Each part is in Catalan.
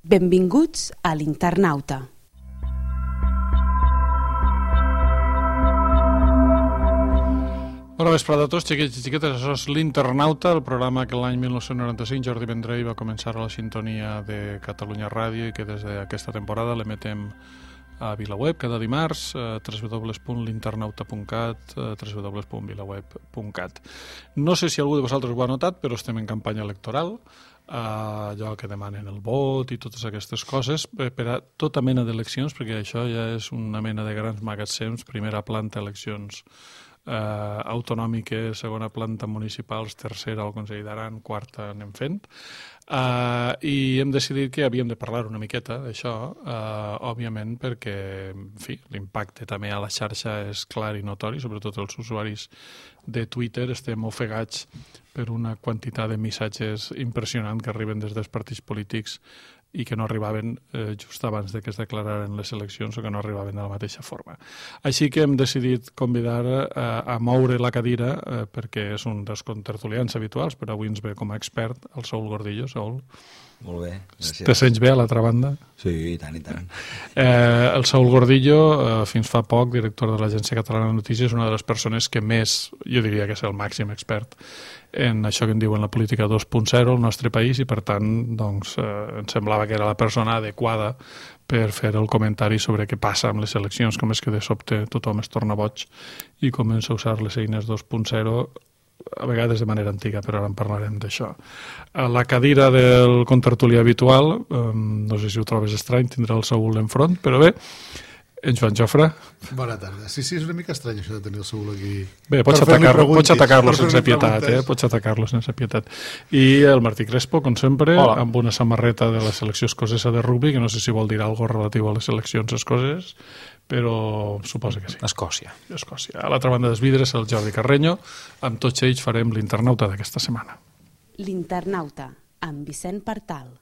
Benvinguts a l'Internauta. Bona vesprada a tots, xiquets i xiquetes. Això és l'Internauta, el programa que l'any 1995 Jordi Vendrell va començar a la sintonia de Catalunya Ràdio i que des d'aquesta temporada l'emetem a VilaWeb cada dimarts, www.l'internauta.cat, www.vilaweb.cat. No sé si algú de vosaltres ho ha notat, però estem en campanya electoral, allò que demanen el vot i totes aquestes coses per a tota mena d'eleccions, perquè això ja és una mena de grans magatzems, primera planta eleccions autonòmiques, segona planta municipals, tercera al Consell d'Aran, quarta anem fent, i hem decidit que havíem de parlar una miqueta d'això, òbviament perquè, en fi, l'impacte també a la xarxa és clar i notori, sobretot els usuaris de Twitter estem ofegats per una quantitat de missatges impressionant que arriben des dels partits polítics i que no arribaven just abans de que es declararen les eleccions o que no arribaven de la mateixa forma. Així que hem decidit convidar a moure la cadira perquè és un dels contertulians habituals, però avui ens ve com a expert el Saúl Gordillo. Saúl. Molt bé, gràcies. Te sents bé a l'altra banda? Sí, i tant, i tant. El Saúl Gordillo, fins fa poc, director de l'Agència Catalana de Notícies, és una de les persones que més, jo diria que és el màxim expert en això que en diuen la política 2.0 al nostre país i, per tant, doncs, em semblava que era la persona adequada per fer el comentari sobre què passa amb les eleccions, com és que de sobte tothom es torna boig i comença a usar les eines 2.0, a vegades de manera antiga, però ara en parlarem d'això. A la cadira del contertulià habitual, no sé si ho trobes estrany, tindrà el Saúl enfront, però bé, en Joan Jofre. Bona tarda. Sí, és una mica estrany això de tenir el Saúl aquí. Bé, pots atacar-lo sense pietat, pots atacar-lo sense pietat. I el Martí Crespo, com sempre, hola, amb una samarreta de la selecció escocesa de rugby, que no sé si vol dir alguna cosa relatiu a les seleccions escoceses, però suposa que sí. Escòcia. A l'altra banda dels vidres, el Jordi Carreño. Amb tots ells farem l'Internauta d'aquesta setmana. L'Internauta, amb Vicent Partal.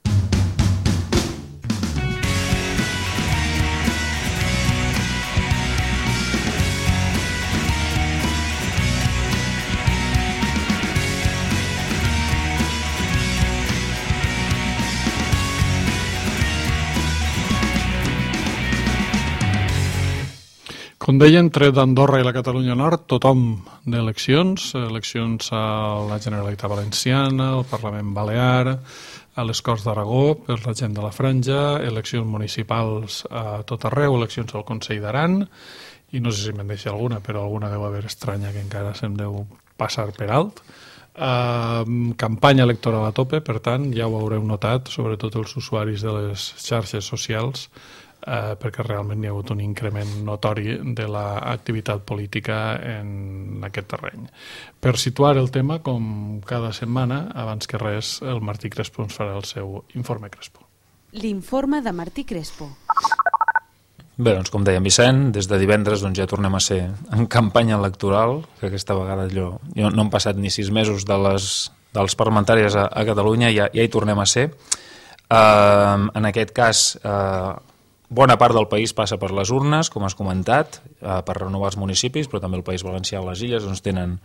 Com deien, tret d'Andorra i la Catalunya Nord, tothom d'eleccions, eleccions a la Generalitat Valenciana, al Parlament Balear, a les Corts d'Aragó, per la gent de la Franja, eleccions municipals a tot arreu, eleccions al Consell d'Aran, i no sé si me'n deixa alguna, però alguna deu haver estranya que encara se'm deu passar per alt. Campanya electoral a tope, per tant, ja ho haureu notat, sobretot els usuaris de les xarxes socials, perquè realment hi ha hagut un increment notori de l'activitat política en aquest terreny. Per situar el tema, com cada setmana, abans que res, el Martí Crespo ens farà el seu informe Crespo. L'informe de Martí Crespo. Bé, doncs com deia Vicent, des de divendres doncs, ja tornem a ser en campanya electoral, que aquesta vegada jo no han passat ni 6 mesos dels parlamentaris a Catalunya, ja hi tornem a ser. En aquest cas, bona part del país passa per les urnes, com has comentat, per renovar els municipis, però també el País Valencià i les Illes doncs, tenen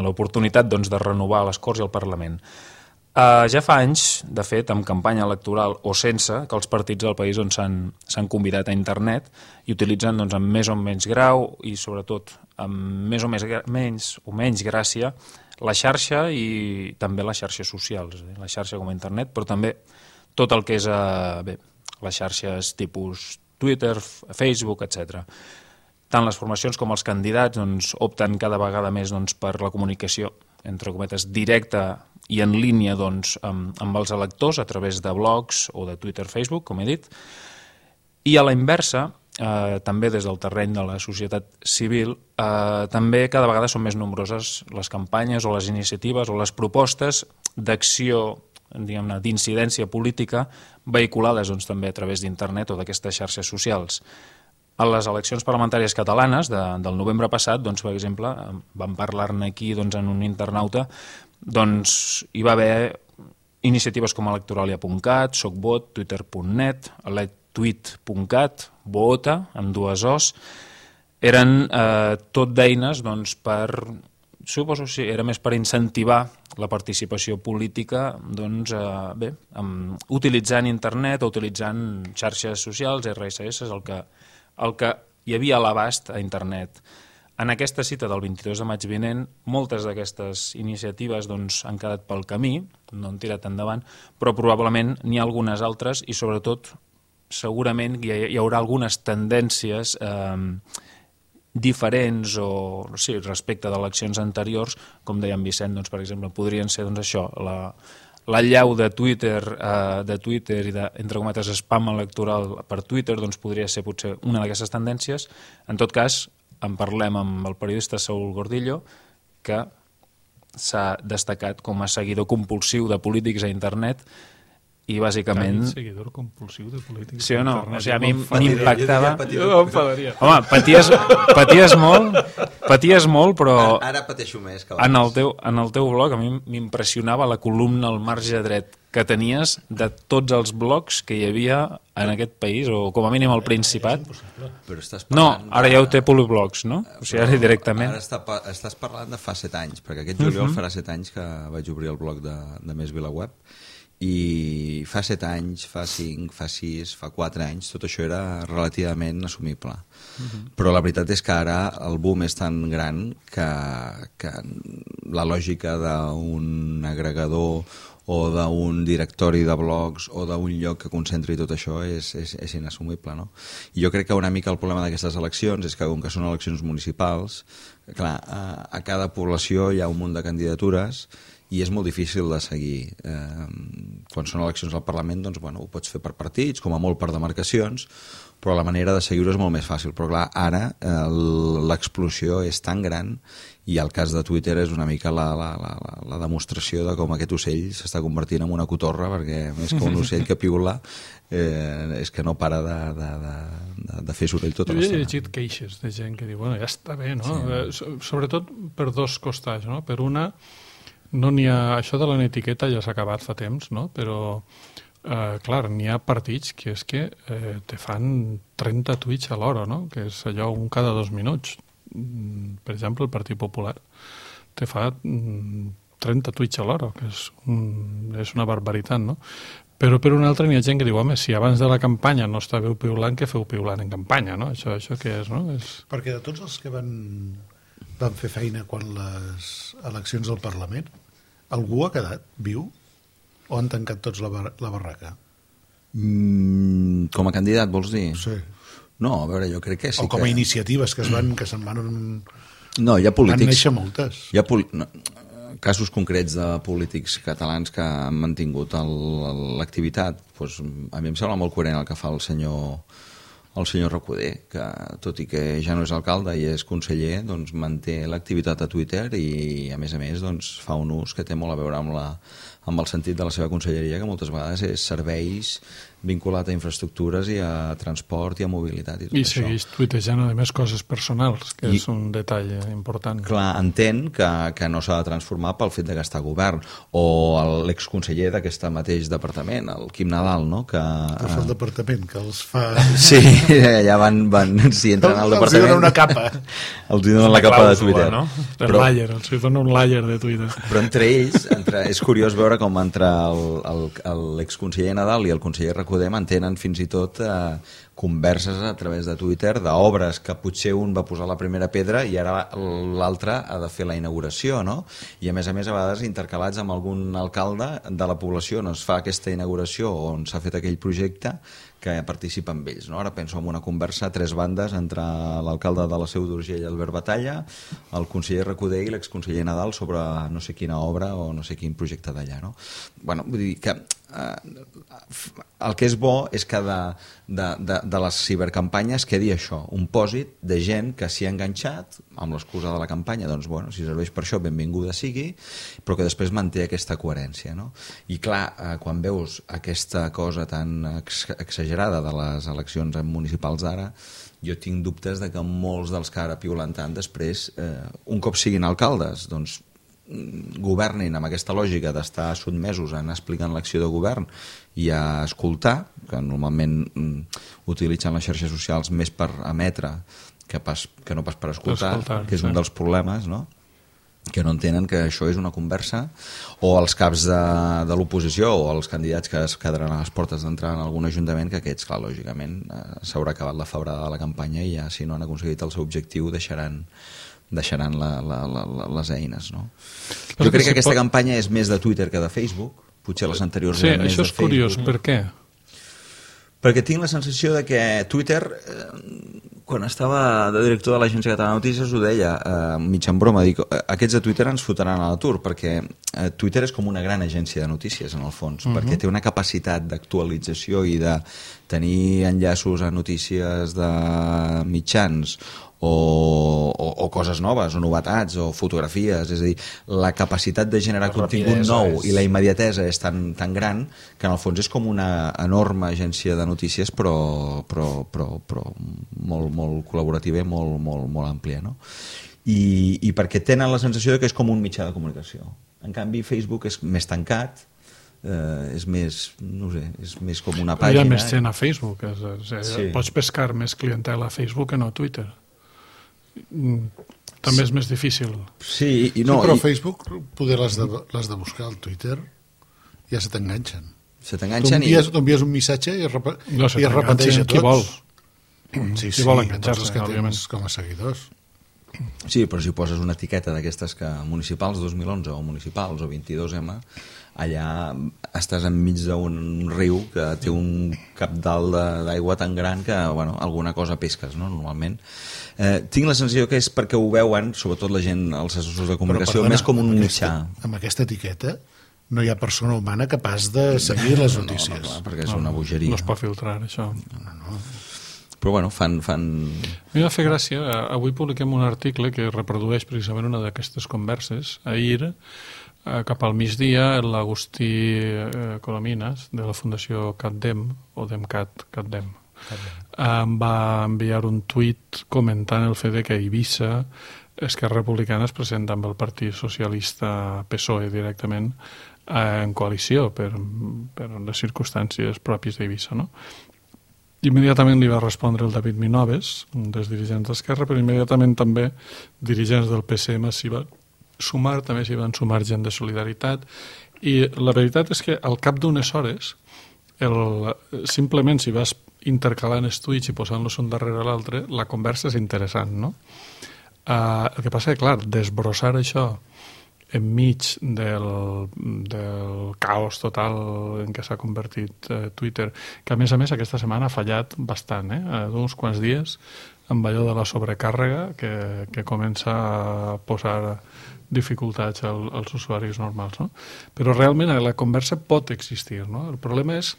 l'oportunitat doncs, de renovar les Corts i el Parlament. Ja fa anys, de fet, amb campanya electoral o sense, que els partits del país doncs, s'han convidat a internet i utilitzen doncs, amb més o menys grau i sobretot amb més o menys gràcia la xarxa i també les xarxes socials, la xarxa com a internet, però també tot el que és les xarxes tipus Twitter, Facebook, etc. Tant les formacions com els candidats doncs, opten cada vegada més doncs, per la comunicació, entre cometes, directa i en línia doncs, amb els electors a través de blogs o de Twitter, Facebook, com he dit. I a la inversa, també des del terreny de la societat civil, també cada vegada són més nombroses les campanyes o les iniciatives o les propostes d'acció d'incidència política vehiculades doncs, també a través d'internet o d'aquestes xarxes socials. A les eleccions parlamentàries catalanes del novembre passat, doncs, per exemple, vam parlar-ne aquí doncs, en un internauta, doncs, hi va haver iniciatives com electoralia.cat, socvot, twitter.net, electweet.cat, Voota, amb 2 O's, eren tot d'eines doncs, per suposo que era més per incentivar la participació política doncs, utilitzant internet o utilitzant xarxes socials, RSS, el que hi havia a l'abast a internet. En aquesta cita del 22 de maig vinent, moltes d'aquestes iniciatives doncs, han quedat pel camí, no han tirat endavant, però probablement n'hi ha algunes altres i sobretot segurament hi haurà algunes tendències diferents o sí, respecte d'eleccions anteriors, com deia en Vicent, doncs, per exemple, podrien ser doncs, això, l'allau de Twitter i de, entre cometes, spam electoral per Twitter, doncs podria ser potser una d'aquestes tendències. En tot cas, en parlem amb el periodista Saúl Gordillo, que s'ha destacat com a seguidor compulsiu de polítics a internet i bàsicament... Seguidor compulsiu de polítics. Sí o no? Internet. O sigui, a mi m'impactava... Jo m'enfadaria. Home, paties molt, però... Ara pateixo més que en abans. el teu blog a mi m'impressionava la columna al marge dret que tenies de tots els blogs que hi havia en aquest país, o com a mínim al Principat. Però estàs No, parlant ara ja ho té Poliblogs, no? O sigui, ara directament... Ara estàs parlant de fa 7 anys, perquè aquest juliol farà 7 anys que vaig obrir el blog de Més VilaWeb, i fa 7 anys, fa 5, fa 6, fa 4 anys, tot això era relativament assumible. Però la veritat és que ara el boom és tan gran que la lògica d'un agregador o d'un directori de blogs o d'un lloc que concentri tot això és inassumible, no? I jo crec que una mica el problema d'aquestes eleccions és que, com que són eleccions municipals, clar, a cada població hi ha un munt de candidatures i és molt difícil de seguir. Quan són eleccions al Parlament, doncs, bueno, ho pots fer per partits, com a molt per demarcacions, però la manera de seguir-ho és molt més fàcil. Però clar, ara l'explosió és tan gran i el cas de Twitter és una mica la demostració de com aquest ocell s'està convertint en una cotorra, perquè més que un ocell que piula és que no para de fer soroll tota Jo he l'estona. llegit queixes de gent que diu, bueno, ja està bé, no? Sobretot per dos costats, no? Per una, no n'hi ha... Això de la etiqueta ja s'ha acabat fa temps, no? Però, clar, n'hi ha partits que és que te fan 30 tuits a l'hora, no? Que és allò un cada 2 minuts. Per exemple, el Partit Popular te fa 30 tuits a l'hora, que és una barbaritat, no? Però per una altra n'hi ha gent que diu, home, si abans de la campanya no estàveu piulant, què feu piulant en campanya, no? Això què és, no? Perquè de tots els que van fer feina quan les eleccions al Parlament, algú ha quedat viu o han tancat tots la barraca? Com a candidat, vols dir? Sí. No, a veure, jo crec que sí o com a iniciatives que se'n van... No, hi ha polítics... Van néixer moltes. Hi ha casos concrets de polítics catalans que han mantingut l'activitat. Pues, a mi em sembla molt coherent el que fa el senyor Recoder, que tot i que ja no és alcalde i és conseller, doncs manté l'activitat a Twitter i a més doncs, fa un ús que té molt a veure amb el sentit de la seva conselleria, que moltes vegades és serveis vinculat a infraestructures i a transport i a mobilitat i tot I això. segueix tuitejant, a més, coses personals, que és un detall important. Clar, entén que no s'ha de transformar pel fet de gastar govern. O l'exconseller d'aquest mateix departament, el Quim Nadal, no? Que Però el departament, que els fa... Sí, allà si entren al departament... Els donen una capa. Els donen la capa de Twitter. No? El layer, els dona un layer de Twitter. Però entre ells, és curiós veure com entre l'exconseller Nadal i el conseller Recoder mantenen fins i tot converses a través de Twitter d'obres que potser un va posar la primera pedra i ara l'altre ha de fer la inauguració, no? I a vegades intercalats amb algun alcalde de la població on es fa aquesta inauguració o on s'ha fet aquell projecte que participa amb ells, no? Ara penso en una conversa a 3 bandes entre l'alcalde de la Seu d'Urgell, Albert Batalla, el conseller Recoder i l'exconseller Nadal sobre no sé quina obra o no sé quin projecte d'allà, no? Bueno, vull dir que el que és bo és que de les cibercampanyes quedi això, un pòsit de gent que s'hi ha enganxat amb l'excusa de la campanya, doncs bueno, si serveix per això benvinguda sigui, però que després manté aquesta coherència, no? I clar, quan veus aquesta cosa tan exagerada de les eleccions municipals d'ara, jo tinc dubtes de que molts dels que ara piulen tant després, un cop siguin alcaldes, doncs governin amb aquesta lògica d'estar sotmesos a anar explicant l'acció de govern i a escoltar, que normalment utilitzen les xarxes socials més per emetre que no pas per escoltar, que és un dels problemes, no? que no entenen que això és una conversa, o els caps de l'oposició o els candidats que es quedaran a les portes d'entrar en algun ajuntament, que aquests, clar, lògicament s'haurà acabat la febrada de la campanya i ja, si no han aconseguit el seu objectiu, deixaran les eines, no? Jo crec que aquesta campanya és més de Twitter que de Facebook, potser les anteriors eren més de Facebook. Sí, això és curiós, per què? Perquè tinc la sensació de que Twitter, quan estava de director de l'Agència Catalana de Notícies, ho deia, mig en broma, dic, aquests de Twitter ens fotran a l'atur, perquè Twitter és com una gran agència de notícies, en el fons, perquè té una capacitat d'actualització i de tenir enllaços a notícies de mitjans, o coses noves, o novetats, o fotografies, és a dir, la capacitat de generar contingut nou i la immediatesa és tan gran que en el fons és com una enorme agència de notícies però molt col·laborativa i molt àmplia, no? I perquè tenen la sensació de que és com un mitjà de comunicació. En canvi, Facebook és més tancat, és més, no sé, és més com una pàgina. Hi ha més gent a Facebook, pots pescar més clientela a Facebook que no a Twitter. També és més difícil. Sí, però Facebook, poder les de buscar al Twitter, ja se t'enganxen. Se t'enganxen i... Tu envies un missatge i es repeteix a tots. Qui vol. Sí, vol enganxar-se, tots els que tens com a seguidors. Sí, però si poses una etiqueta d'aquestes que municipals 2011 o municipals o 22M, allà estàs enmig d'un riu que té un cabdal d'aigua tan gran que, bueno, alguna cosa pesques, no?, normalment. Tinc la sensació que és perquè ho veuen, sobretot la gent, els assessors de comunicació, més com un mitjà. Amb aquesta etiqueta no hi ha persona humana capaç de seguir les notícies. No, clar, perquè és una bogeria. No es pot filtrar, això. No. Però bueno, fan... M'hi va fer gràcia, avui publiquem un article que reprodueix precisament una d'aquestes converses. Ahir, cap al migdia, l'Agustí Colominas, de la Fundació CatDem, o CatDem, em va enviar un tuit comentant el fet que a Eivissa Esquerra Republicana es presenta amb el Partit Socialista PSOE directament en coalició per les circumstàncies pròpies d'Eivissa, no? Immediatament li va respondre el David Minoves, un dels dirigents d'Esquerra, però immediatament també dirigents del PSM s'hi van sumar, també s'hi van sumar gent de Solidaritat, i la veritat és que al cap d'unes hores, simplement si vas intercalant els tuits i posant-los un darrere l'altre, la conversa és interessant, no? El que passa és que, clar, desbrossar això enmig del caos total en què s'ha convertit Twitter, que a més aquesta setmana ha fallat bastant, d'uns quants dies, amb allò de la sobrecàrrega que comença a posar dificultats als usuaris normals, no? Però realment la conversa pot existir, no? El problema és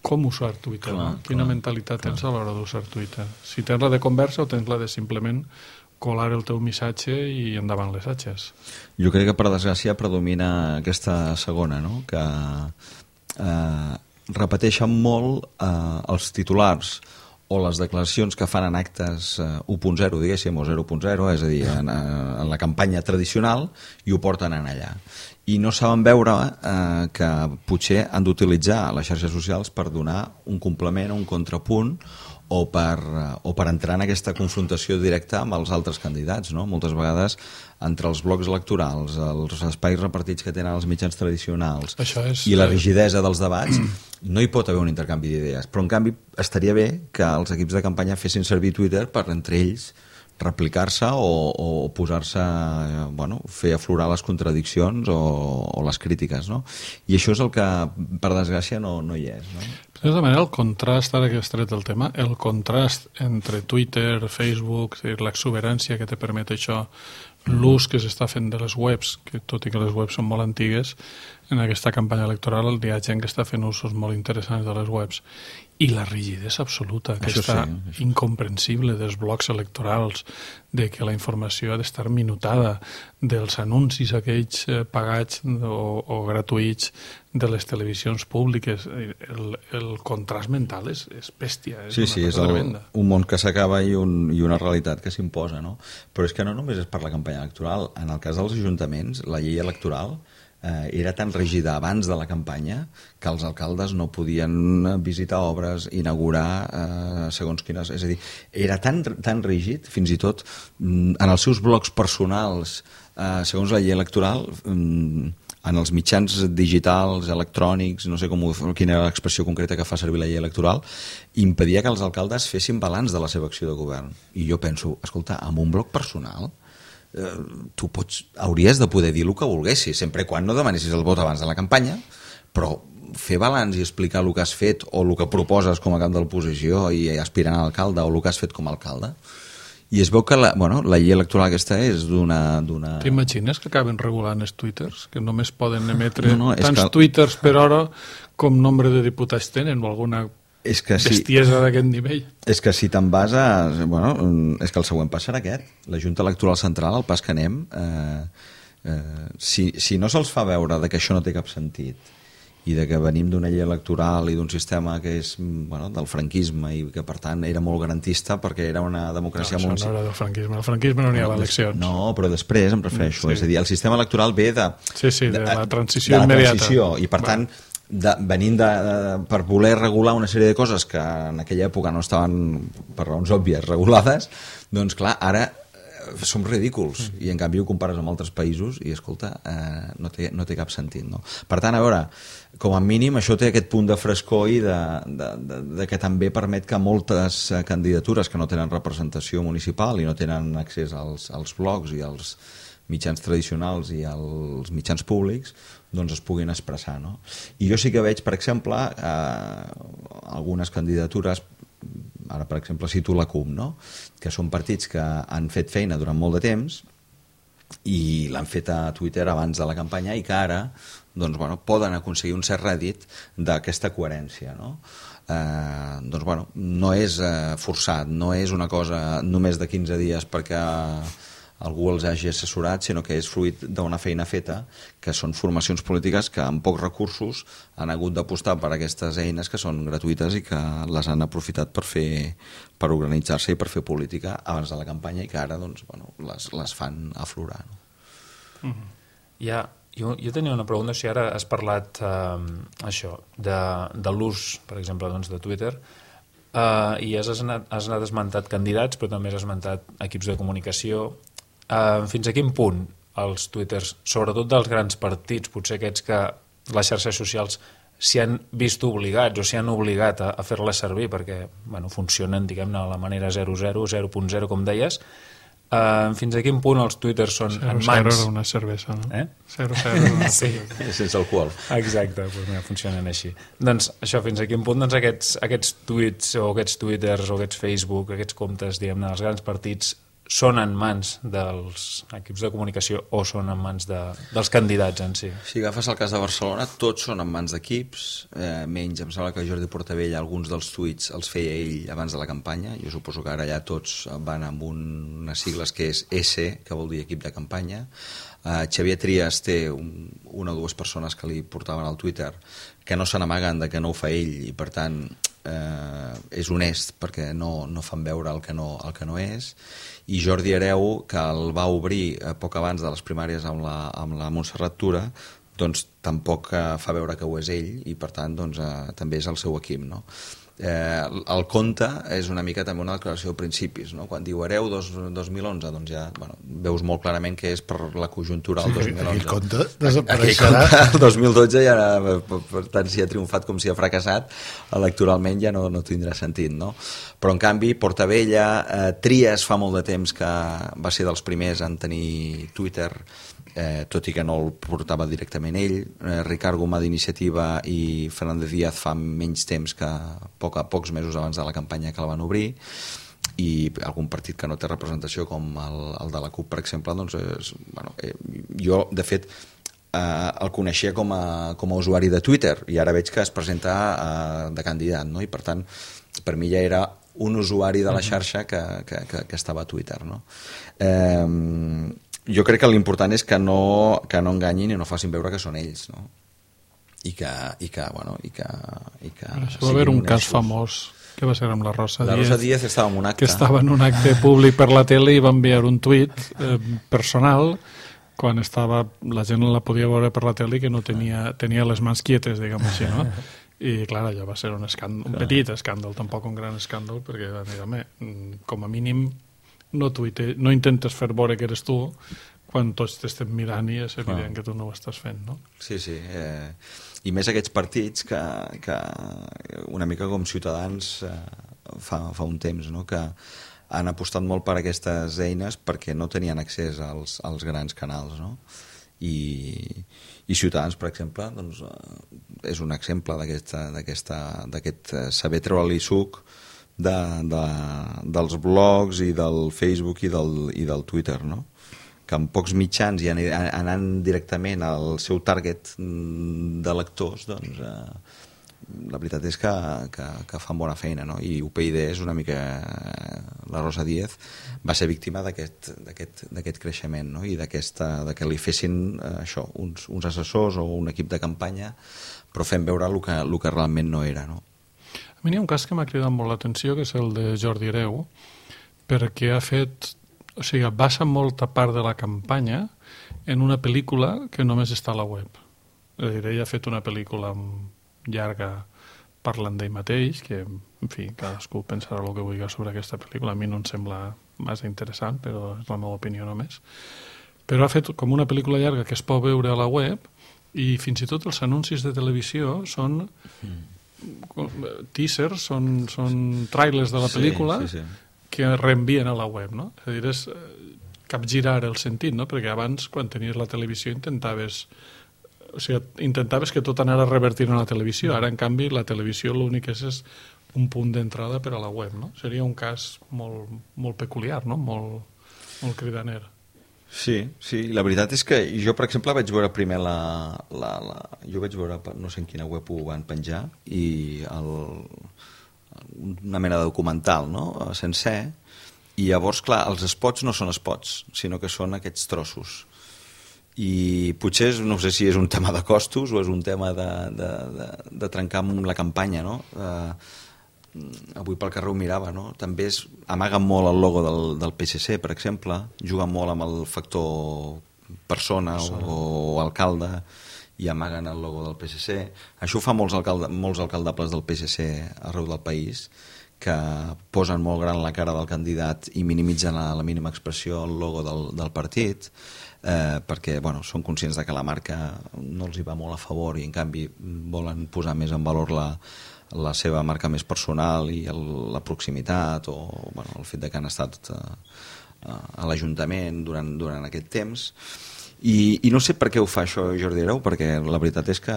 com usar Twitter, no? Quina mentalitat tens a l'hora d'usar Twitter. Si tens la de conversa o tens la de simplement colar el teu missatge i endavant les atxes. Jo crec que per desgràcia predomina aquesta segona, no? Que repeteixen molt els titulars o les declaracions que fan en actes 1.0, diguéssim, o 0.0, és a dir, en la campanya tradicional, i ho porten en allà. I no saben veure que potser han d'utilitzar les xarxes socials per donar un complement, un contrapunt, o per entrar en aquesta confrontació directa amb els altres candidats, no? Moltes vegades entre els blocs electorals, els espais repartits que tenen els mitjans tradicionals i la rigidesa dels debats, no hi pot haver un intercanvi d'idees. Però en canvi estaria bé que els equips de campanya fessin servir Twitter per entre ells replicar-se o posar-se, bueno, fer aflorar les contradiccions o les crítiques, no? I això és el que, per desgràcia, no hi és, no? De tota manera, el contrast, ara que has tret el tema, el contrast entre Twitter, Facebook, l'exuberància que te permet això, l'ús que s'està fent de les webs, que tot i que les webs són molt antigues, en aquesta campanya electoral hi ha gent que està fent usos molt interessants de les webs, i la rigidesa absoluta, aquesta incomprensible dels blocs electorals, de que la informació ha d'estar minutada, dels anuncis aquells pagats o gratuïts de les televisions públiques, el contrast mental és bèstia, és una cosa tremenda. Un món que s'acaba i una realitat que s'imposa, no? Però és que no només és per la campanya electoral, en el cas dels ajuntaments, la llei electoral era tan rígida abans de la campanya que els alcaldes no podien visitar obres, inaugurar segons quines... És a dir, era tan rígid, fins i tot en els seus blogs personals, segons la llei electoral, en els mitjans digitals, electrònics, no sé quina era l'expressió concreta que fa servir la llei electoral, impedia que els alcaldes fessin balanç de la seva acció de govern. I jo penso, escolta, amb un blog personal tu hauries de poder dir el que volguessis, sempre quan no demanessis el vot abans de la campanya, però fer balanç i explicar el que has fet o el que proposes com a cap de l'oposició i aspirant a alcalde o el que has fet com a alcalde. I es veu que la llei electoral aquesta és d'una... T'imagines que acaben regulant els twitters? Que només poden emetre tants twitters per hora com nombre de diputats tenen o alguna bestiesa d'aquest nivell. És que si te'n vas a... és que el següent pas serà aquest. La Junta Electoral Central, al pas que anem, si no se'ls fa veure que això no té cap sentit i de que venim d'una llei electoral i d'un sistema que és del franquisme i que per tant era molt garantista perquè era una democràcia molt... No, això no era del franquisme, el franquisme no n'hi havia eleccions. No, però després em refereixo, és a dir, el sistema electoral ve de la transició immediata. I per tant, venint per voler regular una sèrie de coses que en aquella època no estaven per raons òbvies regulades, doncs clar, ara som ridículs i en canvi ho compares amb altres països i escolta, no té cap sentit, no? Per tant, a veure, com a mínim això té aquest punt de frescor i de que també permet que moltes candidatures que no tenen representació municipal i no tenen accés als blogs i als mitjans tradicionals i als mitjans públics doncs es puguin expressar, no? I jo sí que veig, per exemple, algunes candidatures, ara per exemple cito la CUP, no? Que són partits que han fet feina durant molt de temps i l'han fet a Twitter abans de la campanya i que ara doncs, poden aconseguir un cert rèdit d'aquesta coherència, no? No és forçat, no és una cosa només de 15 dies perquè algú els hagi assessorat, sinó que és fruit d'una feina feta, que són formacions polítiques que amb pocs recursos han hagut d'apostar per aquestes eines que són gratuïtes i que les han aprofitat per organitzar-se i per fer política abans de la campanya i que ara les fan aflorar. No? Jo tenia una pregunta, si ara has parlat això de l'ús, per exemple, de Twitter, i has anat esmentat candidats, però també has esmentat equips de comunicació. Fins a quin punt els twitters, sobretot dels grans partits, potser aquests que les xarxes socials s'hi han vist obligats o s'hi han obligat a fer-les servir perquè funcionen, diguem-ne, a la manera 0.0, 0.0, com deies, fins a quin punt els twitters són en mans... 0.0 una cervesa, no? 0.0 sí. Sense alcohol. Exacte, funcionen així. Doncs això, fins a quin punt aquests tuits o aquests twitters o aquests Facebook, aquests comptes, diguem-ne, dels grans partits són en mans dels equips de comunicació o són en mans dels candidats en si? Si agafes el cas de Barcelona, tots són en mans d'equips, menys, em sembla que Jordi Portavell alguns dels tuits els feia ell abans de la campanya. Jo suposo que ara ja tots van amb unes sigles que és S, que vol dir equip de campanya. Xavier Trias té una o dues persones que li portaven al Twitter que no se n'amaguen de que no ho fa ell i per tant és honest perquè no fan veure el que no és, i Jordi Hereu, que el va obrir poc abans de les primàries amb la Montserrat Tura, doncs tampoc fa veure que ho és ell i per tant també és el seu equip, no? El conte és una mica també una declaració de principis, no? Quan diu Hereu 2011, doncs ja veus molt clarament que és per la conjuntura del 2011. Aquell conte desapareixerà. El 2012 ja, per tant, si ha triomfat com si ha fracassat, electoralment ja no tindrà sentit, no? Però en canvi Portavella, Trias fa molt de temps que va ser dels primers en tenir Twitter, tot i que no el portava directament ell. Ricard Gomà d'Iniciativa i Fernández Díaz fa menys temps, que pocs mesos abans de la campanya que la van obrir, i algun partit que no té representació com el de la CUP, per exemple, doncs jo de fet el coneixia com a usuari de Twitter i ara veig que es presenta de candidat, no? I per tant per mi ja era un usuari de la xarxa que estava a Twitter, no? Jo crec que l'important és que no enganyin i no facin veure que són ells, no? I que va haver un cas famós que va ser amb la Rosa Díez. La Rosa Díez estava en un acte. Que estava en un acte públic per la tele i va enviar un tuit personal quan estava, la gent la podia veure per la tele que no tenia les mans quietes, diguem així, no? I clar, allò va ser un escàndol, un petit escàndol, tampoc un gran escàndol, perquè com a mínim no intentes fer veure que eres tu quan tots t'estem mirant i és evident que tu no ho estàs fent, no? Sí, sí. I més aquests partits que una mica com Ciutadans fa un temps, no? Que han apostat molt per aquestes eines perquè no tenien accés als grans canals, no? I Ciutadans, per exemple, doncs, és un exemple d'aquest saber treure-li suc dels blogs i del Facebook i del Twitter, no? Que amb pocs mitjans i anant directament al seu target de lectors, doncs la veritat és que fan bona feina, no? I UPyD és una mica... La Rosa Díez va ser víctima d'aquest creixement, no? I de que li fessin això, uns assessors o un equip de campanya, però fent veure el que realment no era, no? A mi hi ha un cas que m'ha cridat molt l'atenció, que és el de Jordi Hereu, perquè ha fet... O sigui, basa molta part de la campanya en una pel·lícula que només està a la web. És a dir, ell ha fet una pel·lícula llarga parlant d'ell mateix, que, en fi, cadascú pensarà el que vulgui sobre aquesta pel·lícula. A mi no em sembla massa interessant, però és la meva opinió només. Però ha fet com una pel·lícula llarga que es pot veure a la web i fins i tot els anuncis de televisió són teasers, són trailers de la pel·lícula, sí. Que reenvien a la web, no? És a dir, és capgirar el sentit, no? Perquè abans, quan tenies la televisió, intentaves que tot anara revertint a la televisió. Ara, en canvi, la televisió l'únic és un punt d'entrada per a la web, no? Seria un cas molt, molt peculiar, no? Molt cridaner. Sí, la veritat és que jo, per exemple, vaig veure primer jo vaig veure, no sé en quina web ho van penjar, i una mena de documental, no? Sencer, i llavors, clar, els spots no són spots, sinó que són aquests trossos. I potser, no sé si és un tema de costos o és un tema de trencar amb la campanya, no? Avui pel carrer ho mirava, no? També amaguen molt el logo del PSC, per exemple, juguen molt amb el factor persona o alcalde, i amaguen el logo del PSC. Això ho fa molts alcaldables del PSC arreu del país, que posen molt gran la cara del candidat i minimitzen a la mínima expressió el logo del partit, perquè són conscients de que la marca no els hi va molt a favor i en canvi volen posar més en valor la seva marca més personal i la proximitat o el fet de que han estat a l'Ajuntament durant aquest temps. I no sé per què ho fa això Jordi Hereu, perquè la veritat és que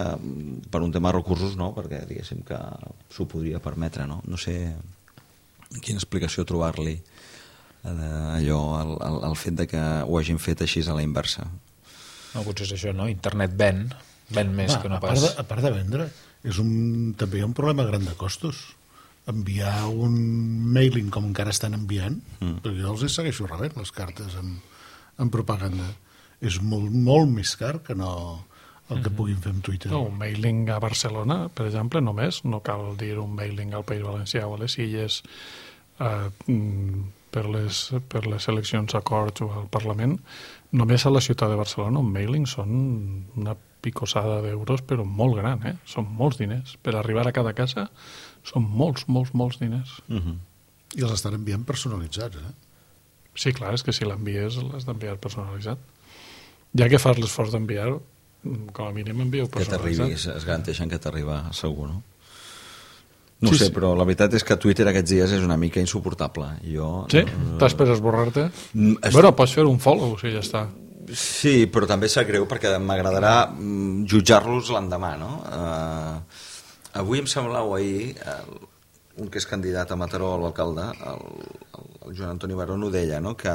per un tema de recursos no, perquè diguéssim que s'ho podria permetre, no? No sé quina explicació trobar-li allò, el fet de que ho hagin fet així a la inversa. No, potser és això, no? Internet ven més que no pas... A part de vendre, també hi ha un problema gran de costos. Enviar un mailing com encara estan enviant, perquè jo els segueixo rebent les cartes en propaganda. És molt, molt més car que no el que puguin fer amb Twitter. No, un mailing a Barcelona, per exemple, només, no cal dir un mailing al País Valencià o a les Illes per les eleccions a Corts o al Parlament, només a la ciutat de Barcelona un mailing són una picossada d'euros, però molt gran, són molts diners. Per arribar a cada casa són molts diners. I els estan enviant personalitzats, Sí, clar, és que si l'envies l'has d'enviar personalitzat. Ja que fas l'esforç d'enviar, com a mínim envieu personalitzat. Que t'arribi, es garanteixen que t'arriba segur, no? No sé, però la veritat és que Twitter aquests dies és una mica insuportable. Sí? T'has per esborrar-te? Pots fer un follow, si ja està. Sí, però també sap greu perquè m'agradarà jutjar-los l'endemà, no? Avui em sembla, o ahir, un que és candidat a Mataró a l'alcalde, el Joan Antoni Barón, ho deia, no? Que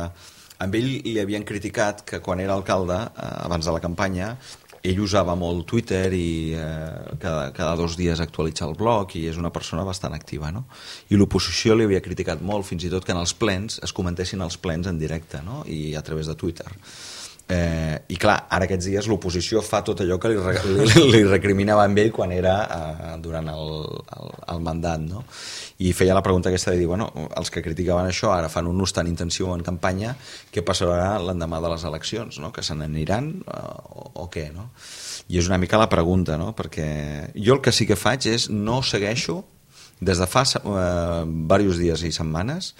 amb ell li havien criticat que quan era alcalde, abans de la campanya, ell usava molt Twitter i cada 2 dies actualitza el blog i és una persona bastant activa, no? I l'oposició li havia criticat molt, fins i tot que en els plens es comentessin els plens en directe, no? I a través de Twitter. I clar, ara aquests dies l'oposició fa tot allò que li recriminava amb ell quan era durant el mandat, no? I feia la pregunta aquesta de dir, bueno, els que criticaven això ara fan un ús tan intensiu en campanya, què passarà l'endemà de les eleccions, no? Que se n'aniran o què, no? I és una mica la pregunta, no? Perquè jo el que sí que faig és no segueixo des de fa diversos dies i setmanes,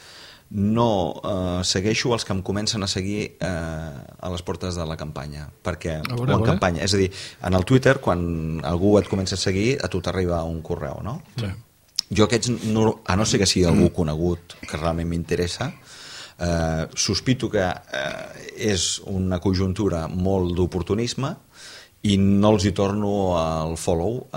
no segueixo els que em comencen a seguir a les portes de la campanya, perquè campanya, és a dir, en el Twitter quan algú et comença a seguir a tu t'arriba un correu, no? Sí. Jo aquests, a no ser que sigui algú conegut que realment m'interessa, sospito que és una conjuntura molt d'oportunisme i no els hi torno el follow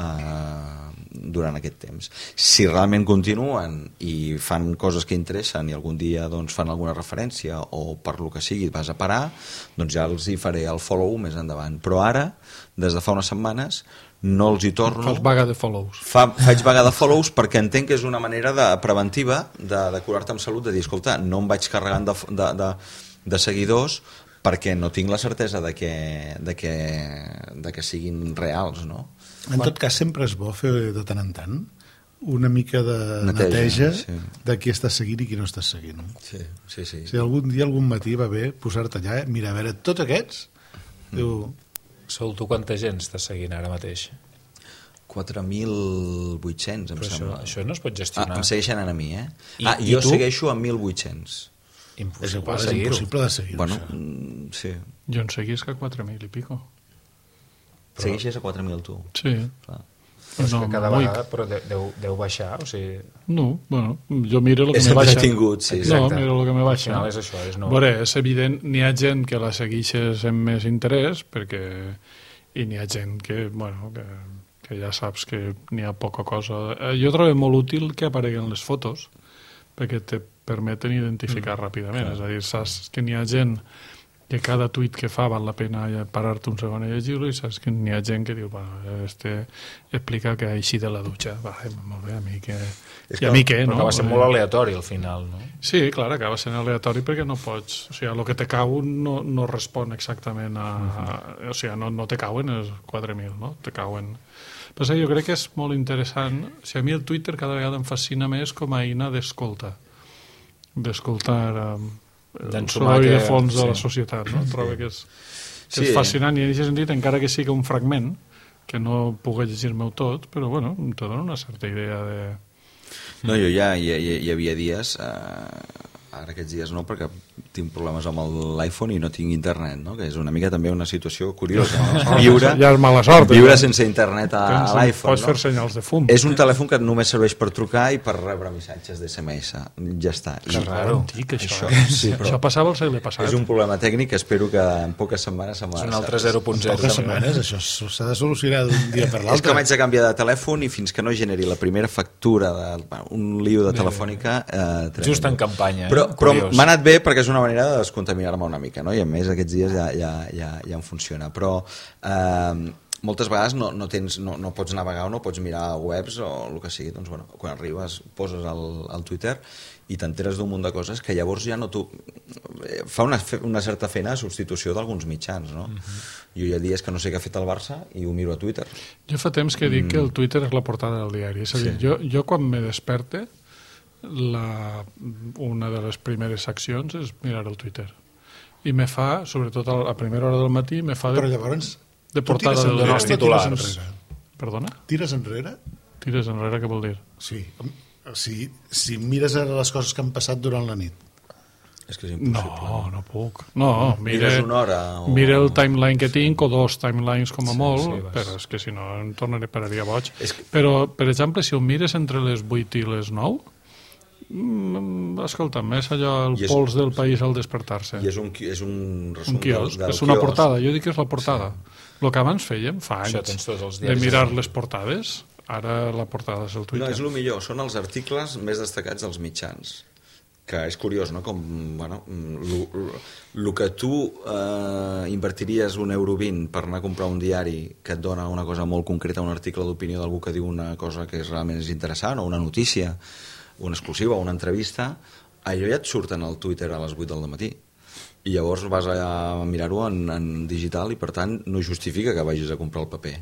durant aquest temps. Si realment continuen i fan coses que interessen i algun dia doncs, fan alguna referència o per lo que sigui vas a parar, doncs ja els hi faré el follow més endavant. Però ara, des de fa unes setmanes, no els hi torno. Fas vaga de follows. Faig vaga de follows perquè entenc que és una manera preventiva de curar-te amb salut, de dir, escolta, no em vaig carregant de seguidors perquè no tinc la certesa de que siguin reals, no? En tot cas, sempre és bo fer de tant en tant una mica de neteja sí. de qui estàs seguint i qui no estàs seguint. Sí. Si algun dia, algun matí va bé posar-te allà, mira, a veure, tots aquests, diu... Sol, tu quanta gent estàs seguint ara mateix? 4.800, em sembla. Això no es pot gestionar. Em segueixen a mi, eh? I jo tu? Segueixo a 1.800. Impossible és impossible de seguir. Bueno, sí. Jo en seguisc a 4.000 i pico. Segueixes a 4.000 tu? Sí. Clar. Però és que cada vegada però deu baixar, o sigui... No, bueno, jo miro el que és me baixa. És tingut, sí. No, miro el que me baixa. Al final és això, és no... Veure, és evident, n'hi ha gent que la segueixes amb més interès, i n'hi ha gent que, bueno, que ja saps que n'hi ha poca cosa. Jo trobo molt útil que apareguen les fotos, perquè te permeten identificar ràpidament. És a dir, saps que n'hi ha gent que cada tuit que fa val la pena parar-te un segon a llegir-lo i saps que n'hi ha gent que diu, bueno, explica que ha eixit de la dutxa. Va, molt bé, a mi què... I a mi què, no? Acaba sent molt aleatori al final, no? Sí, clar, acaba sent aleatori perquè no pots... O sigui, el que te cau no respon exactament a... O sigui, no te cauen els 4.000, no? Te cauen... Però jo crec que és molt interessant. O sigui, a mi el Twitter cada vegada em fascina més com a eina d'escolta. D'escoltar... el soroll de fons de la societat, no? Trobo que és fascinant i en aquest sentit, encara que sigui un fragment que no puc llegir-me tot, però bueno, te dona una certa idea de... No, jo ja hi havia dies, ara aquests dies no, perquè tinc problemes amb l'iPhone i no tinc internet, no? Que és una mica també una situació curiosa, no? Ja és mala sort. Viure sense internet a l'iPhone, pots fer senyals de fum. És un telèfon que només serveix per trucar i per rebre missatges d'SMS. Ja està. Que raro. Antic, això. Això passava al segle passat. És un problema tècnic que espero que en poques setmanes... És un altre 0.0. En poques setmanes, això s'ha de solucionar d'un dia per l'altre. És que m'haig de canviar de telèfon i fins que no generi la primera factura un lío de telefònica... Just en campanya. Però m'ha anat bé perquè és una manera de descontaminar-me una mica, no? I a més aquests dies ja em funciona, però moltes vegades no pots navegar o no pots mirar webs o el que sigui, doncs bueno, quan arribes poses al Twitter i t'enteres d'un munt de coses que llavors ja no fa una certa feina de substitució d'alguns mitjans, no? Jo hi ha dies que no sé què ha fet el Barça i ho miro a Twitter. Jo fa temps que dic que el Twitter és la portada del diari, és a dir, jo quan me desperte una de les primeres accions és mirar el Twitter i me fa, sobretot a primera hora del matí me fa però llavors de portada del els titulars. Perdona? Tires enrere? Tires enrere, què vol dir? Sí, si mires les coses que han passat durant la nit. És que és impossible. No puc. No, mires una hora mira el timeline que tinc o dos timelines com a molt, però és que si no em pararia boig. Però, per exemple, si ho mires entre les 8 i les 9, escolta'm, és allò el pols del país al despertar-se. I és un resum quiosc, és una portada, jo dic que és la portada. El que abans fèiem fa anys de mirar les portades, ara la portada és el Twitter. No, és el millor, són els articles més destacats dels mitjans, que és curiós, no? Com, bueno, el que tu invertiries €1,20 per anar a comprar un diari que et dona una cosa molt concreta, un article d'opinió d'algú que diu una cosa que realment és interessant, o una notícia, una exclusiva o una entrevista, allò ja et surten al Twitter a les 8 del matí. i llavors vas a mirar-ho en digital i per tant no justifica que vagis a comprar el paper.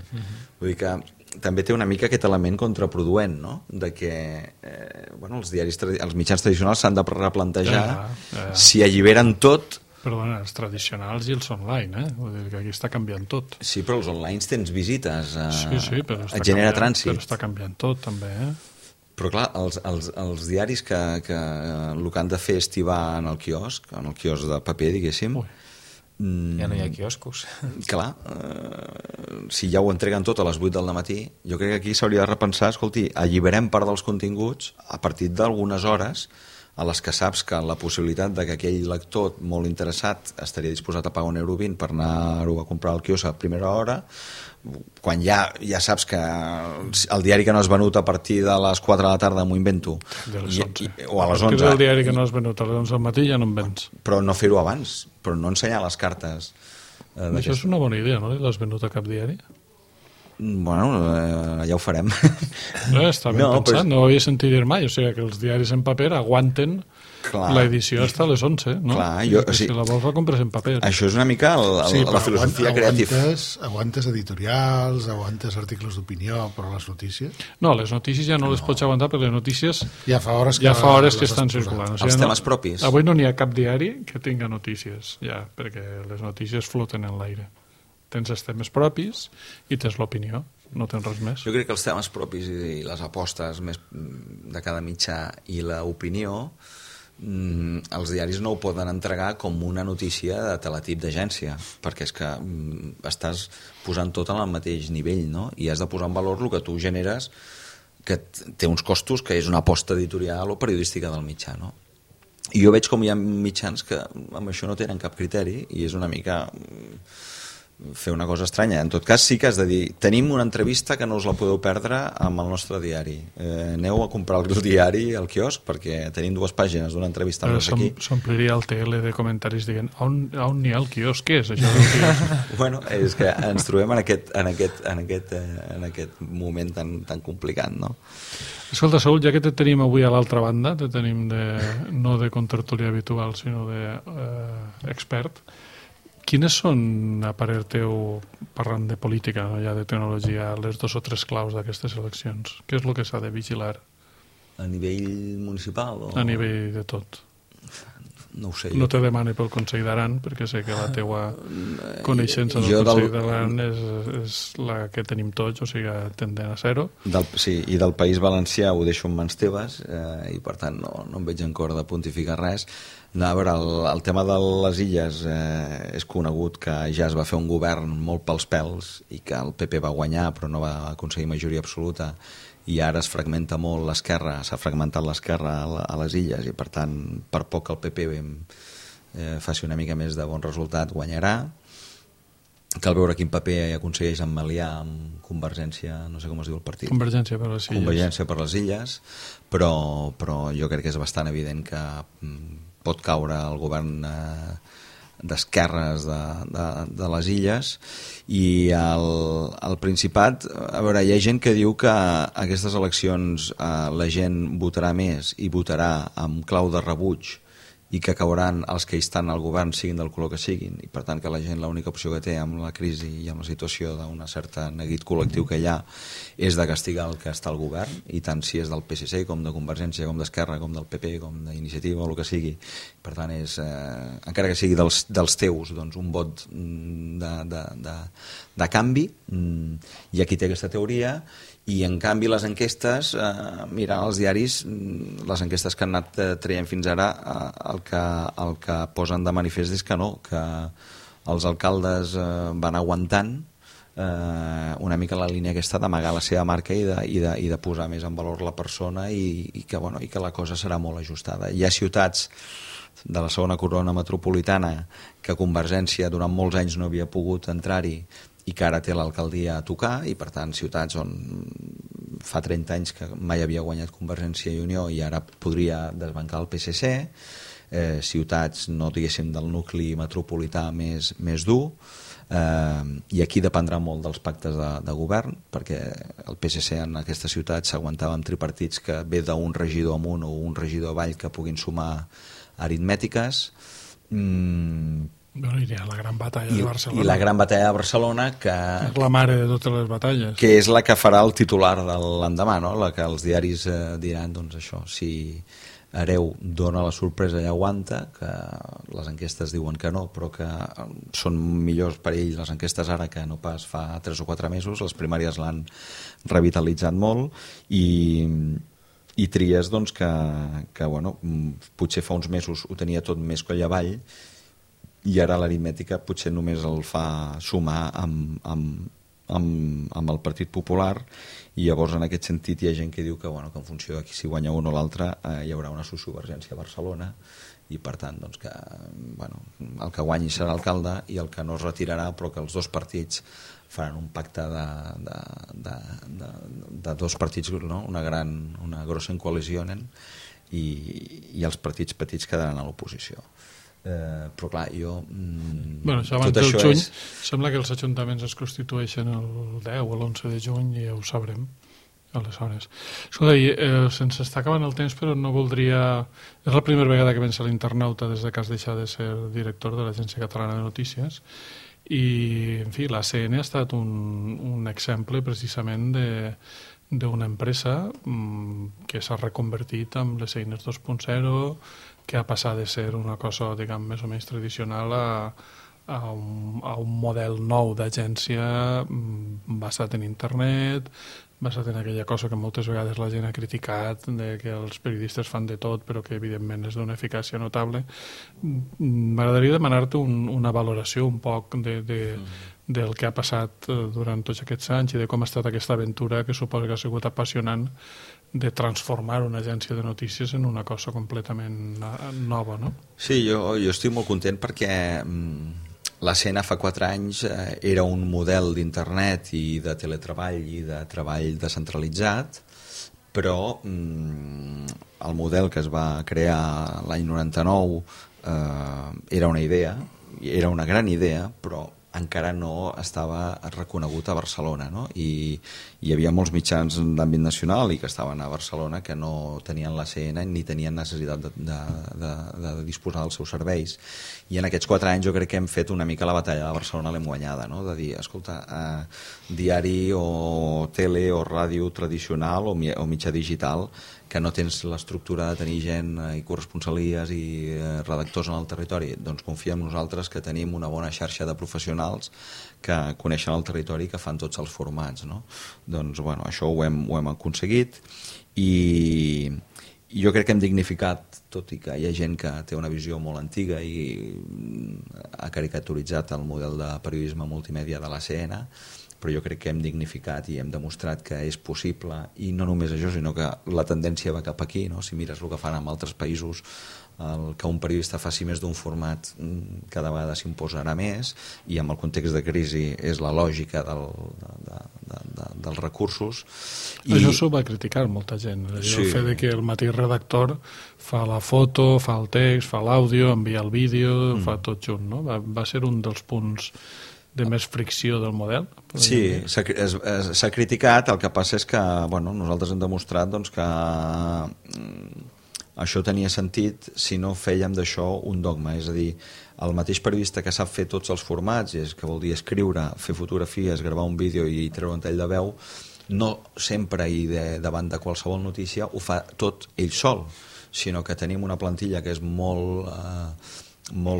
Vull dir que també té una mica aquest element contraproduent, no? De que els mitjans tradicionals s'han de replantejar si alliberen tot. Perdona, els tradicionals i els online, Vull dir que aquí està canviant tot. Sí, però els online tens visites, Sí, però et genera trànsit. Però està canviant tot, també, Però clar, els diaris que el que han de fer és tibar en el quiosc de paper, diguéssim. Ja no hi ha quioscos. Clar, si ja ho entreguen tot a les 8 del matí, jo crec que aquí s'hauria de repensar, escolti, alliberem part dels continguts a partir d'algunes hores a les que saps que la possibilitat de que aquell lector molt interessat estaria disposat a pagar €1,20 per anar-ho a comprar al quiosc a primera hora, quan ja saps que el diari que no has venut a partir de les 4 de la tarda m'ho invento, de les 11. o a les 11. A partir del diari que no has venut a les 11 del matí ja no en vens. Però no fer-ho abans, però no ensenyar les cartes. Això és una bona idea, no? L'has venut a cap diari? Bueno, ja ho farem. Està ben pensat, no ho havia sentit dir mai, o sigui que els diaris en paper aguanten l'edició fins a les 11, no? Clar, si la vols la compres en paper. Això és una mica la filosofia creativa. Aguantes editorials, aguantes articles d'opinió, però les notícies... No, les notícies ja no les pots aguantar, perquè les notícies ja fa hores que estan circulant. Els temes propis. Avui no n'hi ha cap diari que tinga notícies, ja, perquè les notícies floten en l'aire. Tens els temes propis i tens l'opinió, no tens res més. Jo crec que els temes propis i les apostes més de cada mitjà i l'opinió, els diaris no ho poden entregar com una notícia de teletip d'agència, perquè és que estàs posant tot al mateix nivell, no? I has de posar en valor el que tu generes, que té uns costos, que és una aposta editorial o periodística del mitjà, no? I jo veig com hi ha mitjans que amb això no tenen cap criteri i és una mica... fer una cosa estranya. En tot cas sí que has de dir, tenim una entrevista que no us la podeu perdre amb el nostre diari, aneu a comprar el diari al quiosc perquè tenim 2 pàgines d'una entrevista amb aquí. S'ompliria el TL de comentaris dient on n'hi ha el quiosc? Què és això del quiosc? Bueno, és que ens trobem en aquest moment tan complicat, no? Escolta, Saúl, ja que te tenim avui a l'altra banda, te tenim no de contertulià habitual sinó d'expert, quines són, a parer teu, parlant de política, no ja de tecnologia, les 2 o 3 claus d'aquestes eleccions? Què és el que s'ha de vigilar? A nivell municipal? A nivell de tot. No ho sé. No te demane pel Consell d'Aran, perquè sé que la teua coneixença del Consell d'Aran és la que tenim tots, o sigui, tendent a ser-ho. Sí, i del País Valencià ho deixo en mans teves, i per tant no em veig en cor de pontificar res. No, a veure, el tema de les illes és conegut que ja es va fer un govern molt pels pèls i que el PP va guanyar però no va aconseguir majoria absoluta i ara es fragmenta molt l'esquerra, s'ha fragmentat l'esquerra a les illes i per tant per poc que el PP faci una mica més de bon resultat guanyarà. Cal veure quin paper aconsegueix emmaliar amb Convergència, no sé com es diu el partit. Convergència per les Illes. Convergència per les Illes, però jo crec que és bastant evident que pot caure el govern d'esquerres de les Illes i al Principat, a veure, hi ha gent que diu que aquestes eleccions la gent votarà més i votarà amb clau de rebuig i que cauran els que hi estan al govern siguin del color que siguin i per tant que la gent l'única opció que té amb la crisi i amb la situació d'un certa neguit col·lectiu que hi ha és de castigar el que està al govern i tant si és del PSC com de Convergència com d'Esquerra com del PP com d'Iniciativa o el que sigui, per tant és encara que sigui dels teus doncs un vot de canvi i aquí té aquesta teoria i en canvi les enquestes mirant els diaris les enquestes que han anat traient fins ara el que posen de manifest és que no, que els alcaldes van aguantant una mica la línia aquesta d'amagar la seva marca i de posar més en valor la persona i que la cosa serà molt ajustada. Hi ha ciutats de la segona corona metropolitana que Convergència durant molts anys no havia pogut entrar-hi i que ara té l'alcaldia a tocar i per tant ciutats on fa 30 anys que mai havia guanyat Convergència i Unió i ara podria desbancar el PSC, ciutats no diguéssim del nucli metropolità més dur i aquí dependrà molt dels pactes de govern perquè el PSC en aquesta ciutat s'aguantava amb tripartits que ve d'un regidor amunt o un regidor avall que puguin sumar aritmètiques Bueno, hi ha la gran batalla de Barcelona. I la gran batalla de Barcelona, que és la mare de totes les batalles. Que és la que farà el titular de l'endemà, no? La que els diaris diran, doncs això, si Hereu dona la sorpresa i aguanta, que les enquestes diuen que no, però que són millors per ell les enquestes ara que no pas fa 3 o 4 mesos, les primàries l'han revitalitzat molt, i Trias, doncs, que bueno, potser fa uns mesos ho tenia tot més coll avall, i ara l'aritmètica potser només el fa sumar amb el Partit Popular, i llavors en aquest sentit hi ha gent que diu que, bueno, que en funció de si guanya un o l'altre hi haurà una sociovergència a Barcelona, i per tant doncs, que, bueno, el que guanyi serà alcalde i el que no es retirarà, però que els dos partits faran un pacte de dos partits, no? una grossa coalició, i els partits petits quedaran a l'oposició. Però clar, jo bueno, això abans del juny sembla que els ajuntaments es constitueixen el 10 o l'11 de juny i ja ho sabrem aleshores. Escolta, se'ns està acabant el temps, però no voldria... És la primera vegada que vens a l'Internauta des que has deixat de ser director de l'Agència Catalana de Notícies, i en fi, la CN ha estat un exemple precisament d'una empresa que s'ha reconvertit amb les eines 2.0, que ha passat de ser una cosa, diguem, més o menys tradicional a un model nou d'agència basat en internet, basat en aquella cosa que moltes vegades la gent ha criticat, de que els periodistes fan de tot però que evidentment és d'una eficàcia notable. M'agradaria demanar-te una valoració un poc del que ha passat durant tots aquests anys i de com ha estat aquesta aventura, que suposo que ha sigut apassionant, de transformar una agència de notícies en una cosa completament nova, no? Sí, jo estic molt content perquè la CN fa 4 anys era un model d'internet i de teletreball i de treball descentralitzat, però el model que es va crear l'any 99 era una idea, era una gran idea, però encara no estava reconegut a Barcelona, no? I hi havia molts mitjans d'àmbit nacional i que estaven a Barcelona que no tenien la CN ni tenien necessitat de disposar dels seus serveis. I en aquests 4 anys jo crec que hem fet una mica la batalla de Barcelona, l'hem guanyada, no? De dir, escolta, diari o tele o ràdio tradicional o mitjà digital, que no tens l'estructura de tenir gent i corresponsalies i redactors en el territori, doncs confia en nosaltres que tenim una bona xarxa de professionals que coneixen el territori i que fan tots els formats, no? Doncs bueno, això ho hem aconseguit, i jo crec que hem dignificat, tot i que hi ha gent que té una visió molt antiga i ha caricaturitzat el model de periodisme multimèdia de la CN, però jo crec que hem dignificat i hem demostrat que és possible, i no només això, sinó que la tendència va cap aquí, no? Si mires el que fan en altres països, que un periodista faci més d'un format cada vegada s'imposarà més, i amb el context de crisi és la lògica dels recursos. Això s'ho va criticar molta gent, sí. El fet de que el mateix redactor fa la foto, fa el text, fa l'àudio, envia el vídeo, fa tot junt, no? Va ser un dels punts de més fricció del model? Sí, s'ha criticat. El que passa és que nosaltres hem demostrat doncs, que això tenia sentit si no fèiem d'això un dogma, és a dir, el mateix periodista que sap fer tots els formats, que vol dir escriure, fer fotografies, gravar un vídeo i treure un tall de veu, no sempre i davant de qualsevol notícia ho fa tot ell sol, sinó que tenim una plantilla que és molt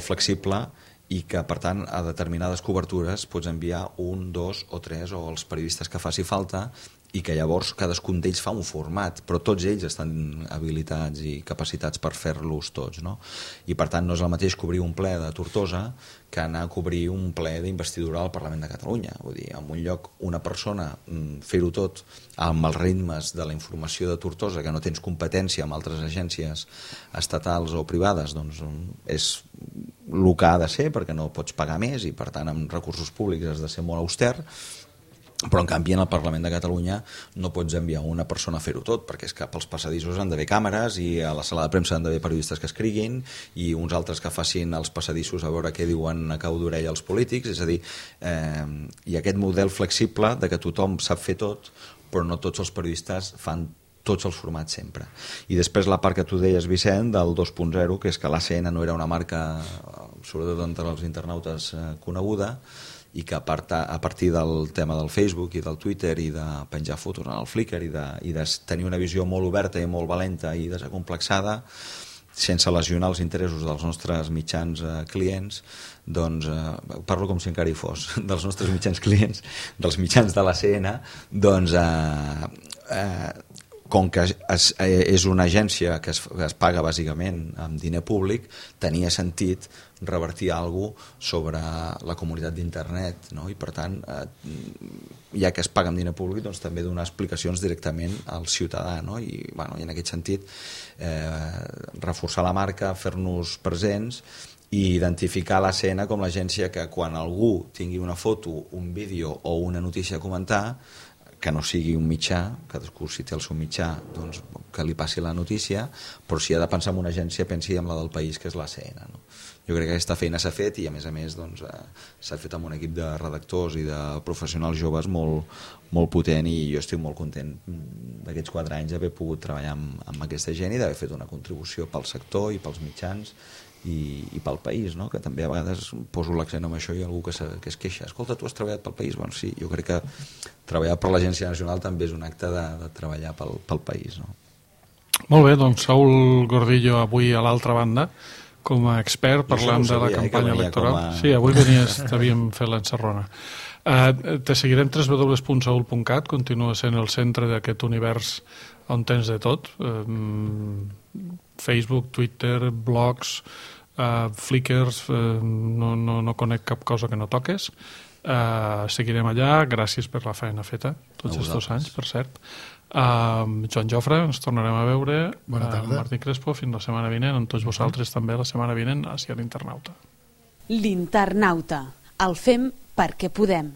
flexible i que, per tant, a determinades cobertures pots enviar 1, 2 o 3 o els periodistes que faci falta, i que llavors cadascun d'ells fa un format, però tots ells estan habilitats i capacitats per fer-los tots, no? I per tant no és el mateix cobrir un ple de Tortosa que anar a cobrir un ple d'investidura al Parlament de Catalunya. Vull dir, en un lloc una persona fer-ho tot amb els ritmes de la informació de Tortosa, que no tens competència amb altres agències estatals o privades, doncs és el que ha de ser, perquè no pots pagar més i per tant amb recursos públics has de ser molt auster. Però en canvi en el Parlament de Catalunya no pots enviar una persona a fer-ho tot, perquè és que pels passadissos han d'haver càmeres i a la sala de premsa han d'haver periodistes que escriguin i uns altres que facin els passadissos a veure què diuen a cau d'orella els polítics. És a dir, hi ha aquest model flexible de que tothom sap fer tot, però no tots els periodistes fan tots els formats sempre. I després la part que tu deies, Vicent, del 2.0, que és que l'ACN no era una marca, sobretot entre els internautes, coneguda, i que a partir del tema del Facebook i del Twitter i de penjar fotos en el Flickr i de tenir una visió molt oberta i molt valenta i desacomplexada, sense lesionar els interessos dels nostres mitjans clients, doncs, parlo com si encara hi fos, dels nostres mitjans clients, dels mitjans de l'ACN, doncs, com que és una agència que es paga bàsicament amb diner públic, tenia sentit revertir alguna cosa sobre la comunitat d'internet, no? I per tant, ja que es paga amb diner públic, doncs també donar explicacions directament al ciutadà, no? I en aquest sentit reforçar la marca, fer-nos presents i identificar l'ACN com l'agència que quan algú tingui una foto, un vídeo o una notícia a comentar, que no sigui un mitjà, cadascú si té el seu mitjà, doncs que li passi la notícia, però si ha de pensar en una agència, pensi en la del país, que és l'ACN, no? Jo crec que aquesta feina s'ha fet i a més doncs, s'ha fet amb un equip de redactors i de professionals joves molt potent, i jo estic molt content d'aquests 4 anys d'haver pogut treballar amb aquesta gent i d'haver fet una contribució pel sector i pels mitjans i pel país, no? Que també a vegades poso l'accent en això i algú que es queixa, escolta, tu has treballat pel país? Bueno, sí, jo crec que treballar per l'Agència Nacional també és un acte de treballar pel país, no? Molt bé, doncs Saúl Gordillo avui a l'altra banda com a expert parlant de la campanya electoral. Sí, avui t'havíem fet l'encerrona. Te seguirem www.saul.cat, continua sent el centre d'aquest univers on tens de tot, Facebook, Twitter, blogs, Flickrs, no conec cap cosa que no toques. Seguirem allà, gràcies per la feina feta tots aquests anys, per cert. Joan Jofre, ens tornarem a veure. Bona tarda. Martí Crespo, fins la setmana vinent, amb tots vosaltres també la setmana vinent a l'Internauta. L'Internauta, el fem perquè podem.